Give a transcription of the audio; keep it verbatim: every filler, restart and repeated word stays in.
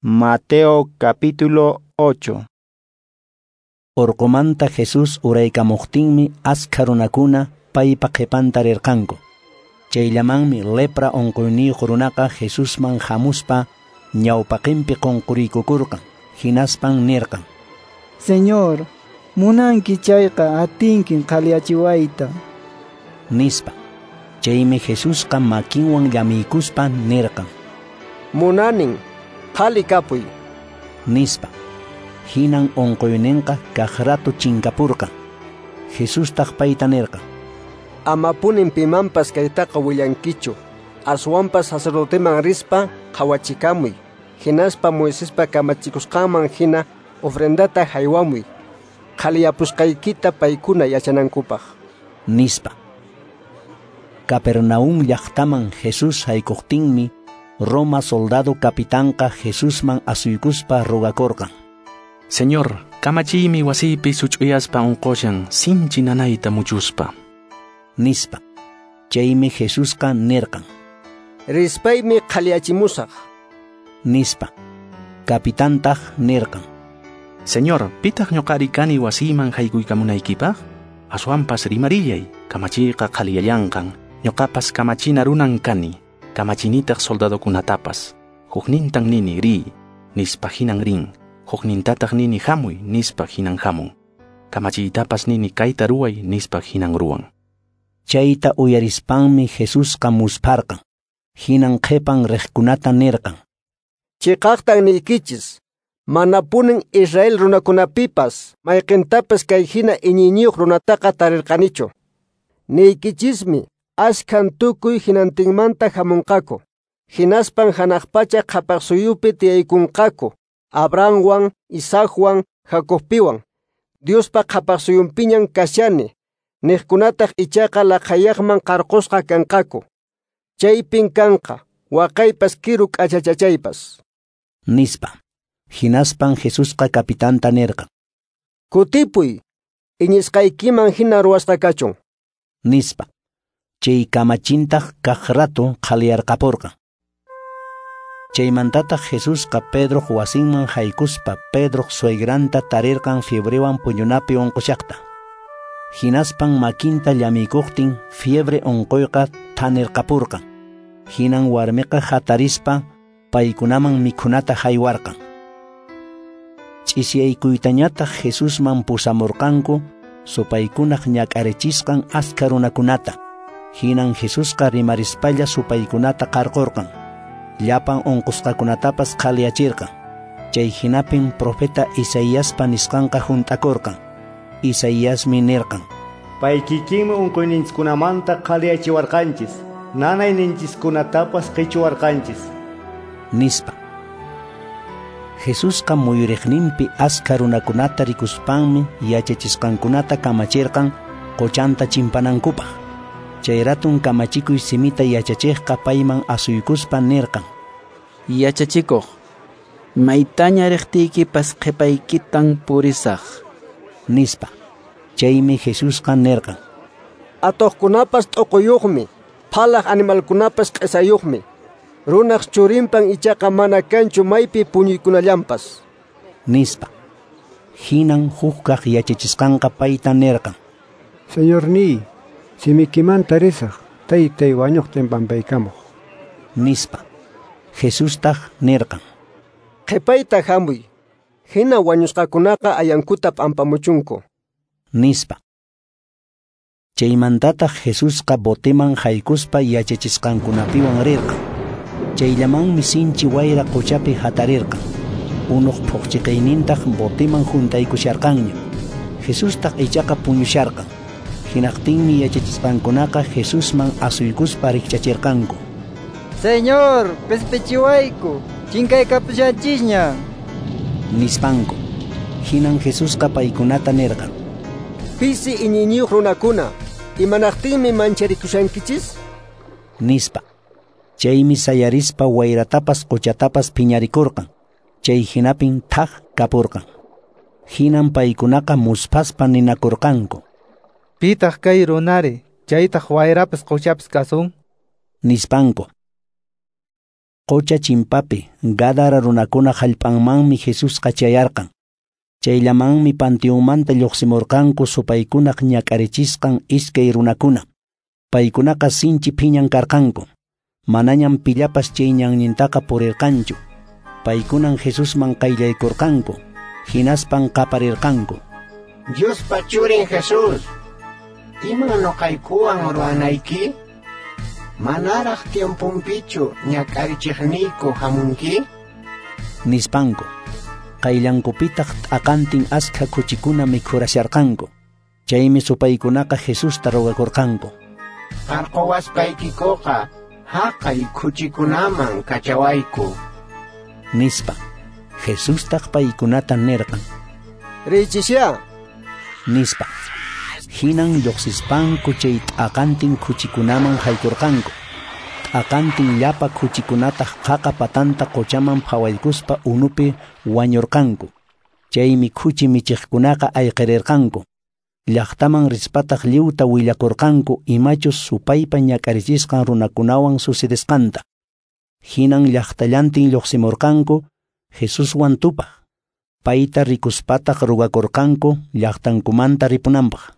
Mateo capítulo ocho. Orqomanta Jesús uraykamuqtinmi askha runakuna paypa qhipanta rirqanku. Chayllamanmi lepra unquyniyuq runaqa Jesusman hamuspa ñawpaqinpi qunquriykukurqan. Hinaspan nirqan: Señor, munanki chayqa atinkin qhaliyachiwayta, nispa. Chaymi Jesusqa makinwan llamiykuspa nirqan: Munanin, qhali kapuy, nispa. Hinan unquyninqa kaq rato chinkapurqan. Jesustaq payta nirqan: Amapunin pimanpas kaytaqa willankichu, aswanpas sacerdoteman rispa qhawachikamuy, hinaspa Moisespa kamachikusqanman hina ofrendata haywamuy, qhaliyapusqaykita paykuna yachanankupaq, nispa. Capernaum llaqtaman Jesús haykuqtinmi Roma soldado capitanqa Jesusman asuykuspa rogakurqan: Señor, kamachiymi wasiypi such'uyaspa unqushan sinchi nanayta muchuspa, nispa. Chaymi Jesusqa nirqan: Rispaymi qhaliyachimusaq, nispa. Capitantaq nirqan: Señor, pitaq ñuqari kani wasiyman haykuykamunaykipaq? Aswanpas rimarillay, kamachiyqa qhaliyallanqan. Ñuqapas kamachina runan kani, kamachinitaq soldadokunatapas. Huknintan nini riy, nispa hinan rin. Huknintataq nini hamuy, nispa hinan hamun. Kamachiytapas nini kayta ruway, nispa hinan ruwan. Chayta uyarispanmi Jesusqa muspharqan. Hinan qhipan riqkunata nirqan: Chiqaqtan niykichis, manapunin Israel runakunapipas mayqintapas kay hina iñiyniyuq runataqa tarirqanichu. Niykichismi, askhan tukuy hinantinmanta hamunqaku, hinaspan hanaq pacha qhapaq suyupi tiyaykunqaku, Abrahamwan, Isaacwan, Jacobpiwan. Diospa qhapaq suyunpiñan kashani, niqkunataq ichaqa laqhayaqman qarqusqa kanqaku. Chaypin kanqa, waqaypas kiru k'achachachaypas, nispa. Hinaspan Jesusqa capitanta nirqan: Kutipuy, iñisqaykiman hina ruwasqa kachun, nispa. Chay kamachintaq kaq rato qhaliyarqapurqan. Chaymantataq Jesusqa Pedroq wasinman haykuspa Pedroq suegranta tarirqan fiebrewan puñunapi unqushaqta. Hinaspan makinta llamiykuqtin fiebre unquyqa thanirqapurqan. Hinan warmiqa hatarispa paykunaman mikhunata haywarqan. Ch'isiyaykuytañataq Jesusman pusamurqanku supaykunaq ñak'arichisqan askha runakunata. Hinan Jesusqa rimarispalla supaykunata qarqurqan. Llapan unqusqakunatapas qhaliyachirqan. Chay hinapin profeta Isaiaspa nisqanqa hunt'akurqan. Isaiasmi nirqan: Pay kikinmi unquyninchikkunamanta qhaliyachiwarqanchis, nanayninchikkunatapas qichuwarqanchis, nispa. Jesusqa muyuriqninpi askha runakunata rikuspanmi yachachisqankunata kamachirqan qochanta chimpanankupaq. Chay ratun kamachikuy simita yachachiqqa payman asuykuspa nirqan: Yachachikuq, maytaña riqtiykipas qhipaykitan purisaq, nispa. Chaymi Jesusqa nirqan: Atuqkunapas t'uquyuqmi, phalaq animalkunapas q'isayuqmi, runaq churinpan ichaqa mana kanchu maypi puñuykunallanpas, nispa. Hinan hukkaq yachachisqanqa payta nirqan: Señorniy, simikimanta risaq, taytay wañuqtin pampaykamuq, nispa. Jesustaq nirqan: Qhipayta hamuy, hina wañusqakunaqa ayankuta p'ampamuchunku, nispa. Chaymantataq Jesusqa boteman haykuspa yachachisqankunapiwan rirqan. Chayllamanmi sinchi wayra qochapi hatarirqan. Unuq phuqchiqaynintaq boteman huntaykusharqanña. Jesustaq ichaqa puñusharqan. Hinaqtinmi yachachisqankunaqa Jesusman asuykuspa rikchachirqanku: Señor, q'ispichiwayku, chinkaykapushanchisña, nispanku. Hinan Jesusqa paykunata nirqan: Pisi iñiyniyuq runakuna, imanaqtinmi mancharikushankichis, nispa. Chaymi sayarispa wayratapas qochatapas phiñarikurqan. Chay hinapin thaq kapurqan. Hinan paykunaqa musphaspa ninakurqanku: Pitaq kay runari, chaytaq wayrapas qochapas kasun, nispanku. Qocha chimpapi Gadara runakuna hallp'anmanmi Jesusqa chayarqan. Chayllamanmi panteonmanta lluqsimurqanku supaykunaq ñak'arichisqan iskay runakuna. Paykunaqa sinchi phiñan karqanku. Manañam pillapas chay ñannintaqa purirqanchu. Paykunan Jesusman qayllaykurqanku, hinaspan qaparirqanku. Diospa churin Jesús, iman nuqaykuwan ruwanayki? Manaraq tiemponpichu ñak'arichiqniyku hamunki? Nispanku. Qayllankupitaq t'aqantin askha khuchikuna mikhurasharqanku. Chaymi supaykunaqa Jesusta rogakurqanku. Qarquwaspaykikuqa haqay khuchikunaman kachawayku. Nispa. Jesustaq paykunata nirqan. Riychisya. Nispa. Hinan lluqsispanku chay t'aqantin khuchikunaman haykurqanku. T'aqantin llapa khuchikunataq qaqa patanta quchaman phawaykuspa unupi wañurqanku. Chaymi khuchi michiqkunaqa ayqirirqanku. Llaqtaman rispataq lliwta willakurqanku imachus supaypa ñak'arichisqan runakunawan sucedesqanta. Hinan llaqtallantin lluqsimurqanku Jesuswan tupaq. Payta rikuspataq rugakurqanku llaqtankumanta ripunanpaq.